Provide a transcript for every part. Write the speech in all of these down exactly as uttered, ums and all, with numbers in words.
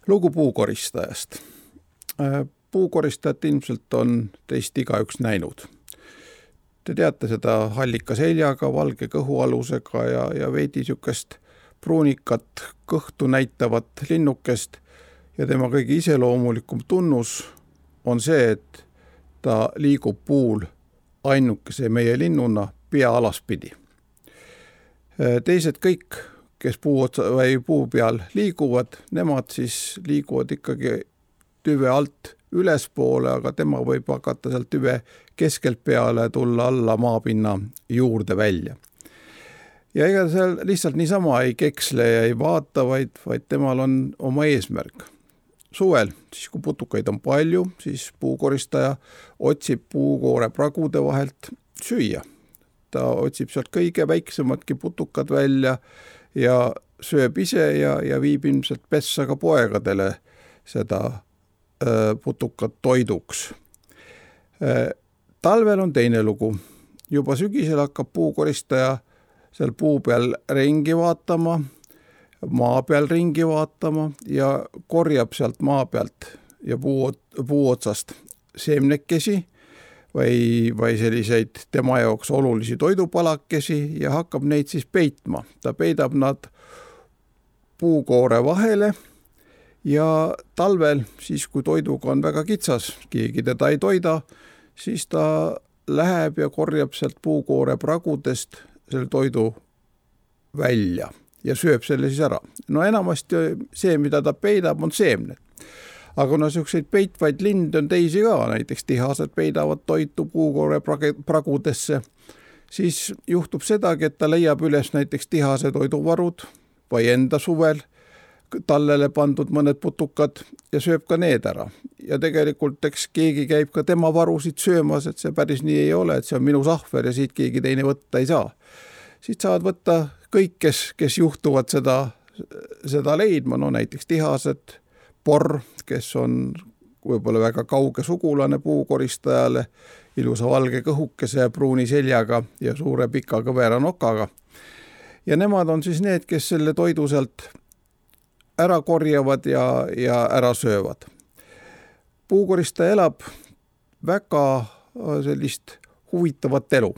Lugu puukoristajast. Puukoristajat ilmselt on teist igaüks näinud. Te teate seda hallika seljaga, valge kõhualusega ja, ja veidi sükest pruunikat kõhtu näitavat linnukest ja tema kõige iseloomulikum tunnus on see, et ta liigub puul ainukese meie linnuna pea alaspidi. Teised kõik, kes puu, otsa, või puu peal liiguvad, nemad siis liiguvad ikkagi tüve alt ülespoole, aga tema võib hakata sealt tüve keskelt peale tulla alla maapinna juurde välja. Ja ega seal lihtsalt niisama ei keksle ja ei vaata, vaid, vaid temal on oma eesmärk. Suvel, siis kui putukaid on palju, siis puukoristaja otsib puukoore pragude vahelt süüa. Ta otsib sealt kõige väiksemadki putukad välja ja sööb ise ja, ja viib ilmselt pessa ka poegadele seda äh, putukat toiduks. Äh, talvel on teine lugu. Juba sügisel hakkab puukoristaja seal puu peal ringi vaatama, maa peal ringi vaatama ja korjab sealt maa pealt ja puu, puu otsast seemnekesi või, või selliseid tema jaoks olulisi toidupalakesi ja hakkab neid siis peitma. Ta peidab nad puukoore vahele ja talvel, siis kui toiduga on väga kitsas, keegi teda ei toida, siis ta läheb ja korjab sealt puukoore pragudest selle toidu välja ja sööb selle siis ära. No enamasti see, mida ta peidab, on seemned. Aga no selliseid peitvaid linde on teisi ka, näiteks tihased peidavad toitu puukoore pragudesse, siis juhtub sedagi, et ta leiab üles näiteks tihase toiduvarud või enda suvel tallele pandud mõned putukad ja sööb ka need ära. Ja tegelikult eks keegi käib ka tema varusid söömas, et see päris nii ei ole, et see on minu sahver ja siit keegi teine võtta ei saa. Siit saavad võtta kõik, kes, kes juhtuvad seda, seda leidma, no näiteks tihased, porr, kes on võib-olla väga kauge sugulane puukoristajale, ilusa valge kõhukese ja pruuni seljaga ja suure pika kõvera nokaga. Ja nemad on siis need, kes selle toidu sealt ära korjavad ja, ja ära söövad. Puukoristaja elab väga sellist huvitavat elu.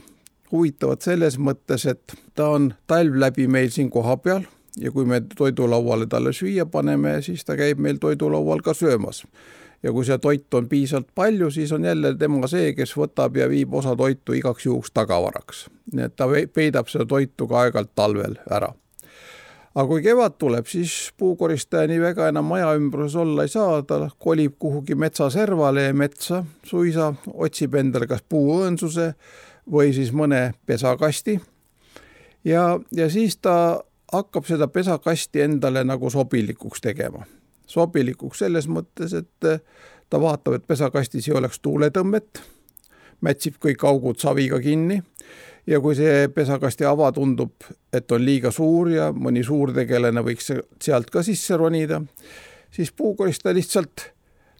Huvitavat selles mõttes, et ta on talv läbi meil siin koha peal ja kui me toidulauale talle süüa paneme, siis ta käib meil toidulaual ka söömas. Ja kui see toit on piisavalt palju, siis on jälle tema see, kes võtab ja viib osa toitu igaks juhuks tagavaraks. Nii et ta peidab seda toitu ka aegalt talvel ära. Aga kui kevad tuleb, siis puukoristaja nii väga enam maja ümbruses olla ei saa, ta kolib kuhugi metsaservale ja metsa suisa, otsib endale kas puuõõnsuse või siis mõne pesakasti ja, ja siis ta hakkab seda pesakasti endale nagu sobilikuks tegema. Sobilikuks selles mõttes, et ta vaatab, et pesakastis ei oleks tuuletõmmet, mätsib kõik augud saviga kinni ja kui see pesakasti ava tundub, et on liiga suur ja mõni suurtegelane võiks sealt ka sisse ronida, siis puukoristaja lihtsalt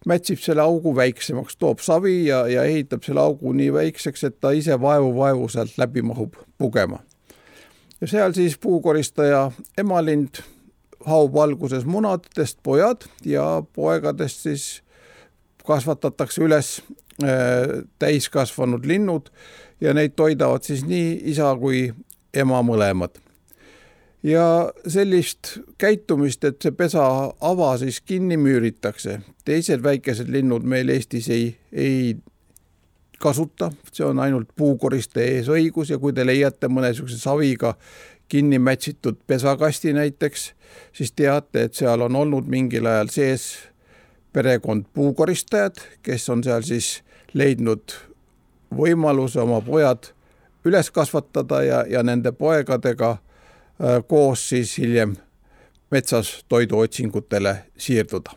mätsib selle augu väiksemaks, toob savi ja, ja ehitab selle augu nii väikseks, et ta ise vaevu-vaevu sealt läbi mahub pugema. Ja seal siis puukoristaja emalind haub alguses munadest pojad ja poegadest siis kasvatatakse üles äh, täiskasvanud linnud ja neid toidavad siis nii isa kui ema mõlemad. Ja sellist käitumist, et see pesa ava siis kinni müüritakse. Teised väikesed linnud meil Eestis ei, ei kasuta, see on ainult puukoristaja ees õigus ja kui te leiate mõne saviga kinni mätsitud pesakasti näiteks, siis teate, et seal on olnud mingil ajal sees perekond puukoristajad, kes on seal siis leidnud võimaluse oma pojad üles kasvatada ja, ja nende poegadega koos siis hiljem metsas toiduotsingutele siirduda.